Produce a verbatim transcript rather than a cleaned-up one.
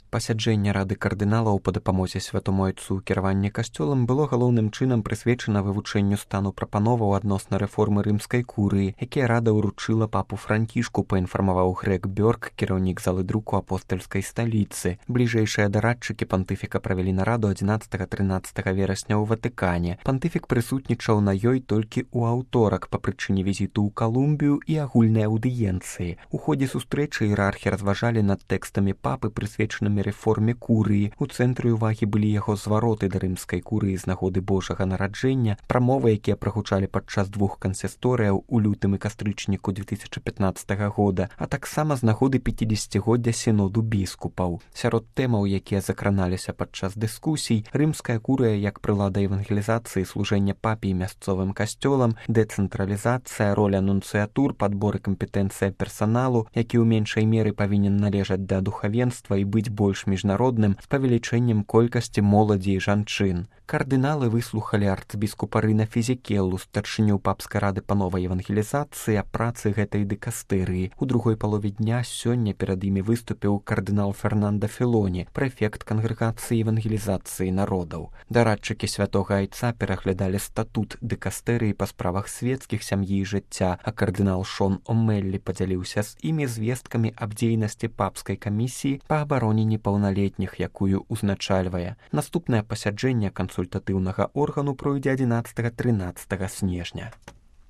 Пасяджэнне рады кардыналаў па дапамозе святому айцу ў кіраванні касцёлам было галоўным чынам прысвечана вывучэнню стану прапановаў адносна рэформы рымскай курыі, якія рада ўручыла папу Францішку, паінфармаваў Грег Бёрк, кіраўнік залы друку апостальскай сталіцы. Бліжэйшыя дарадчыкі пантыфіка правялі нараду адзінаццатага-трынаццатага верасня ў Ватыкане. Пантыфік прысутнічаў на ёй толькі ў аўторак па прычыне візіту ў Калумбію і агульнай аўдыенцыі. У ходзе сустрэчы іерархі разважалі над тэкстамі папы, прысвечанымі рэформе курыі. У цэнтры ўвагі былі яго звароты да рымскай курыі з нагоды Божага нараджэння, прамовы, якія прагучалі падчас двух кансісторыяў у лютым і кастрычніку две тысячы пятнаццатага года, а таксама з нагоды пяцідзесяцігоддзя сіноду біскупаў. Сярод тэмаў, якія закраналіся падчас дыскусій, рымская курыя як прылада евангелізацыі, служэння папе і мясцовым касцёлам, дэцэнтралізацыя, роля нунцыятур, падбор і кампетэнцыя персаналу, які ў меншай меры павінен належаць да духавенства і быць больш больш міжнародным з павелічэннем колькасці моладзі і жанчын. Кардыналы выслухалі арцбіскупа Рына Фізікеллу, старшыню папскай рады па новай евангелізацыі, аб працы гэтай дыкастэрыі. У другой палове дня сёння перад імі выступіў кардынал Фернанда Філоні, прэфект кангрэгацыі евангелізацыі народаў. Дарадчыкі святога айца пераглядалі статут дыкастэрыі па справах светскіх, сям'і і жыцця, а кардынал Шон Омеллі падзяліўся з імі звесткамі аб дзейнасці папскай камісіі па абароне непаўналетніх, якую узначальвае. Наступнае пасяджэнне кансультатыўнага органу пройдзе адзінаццатага-трынаццатага снежня.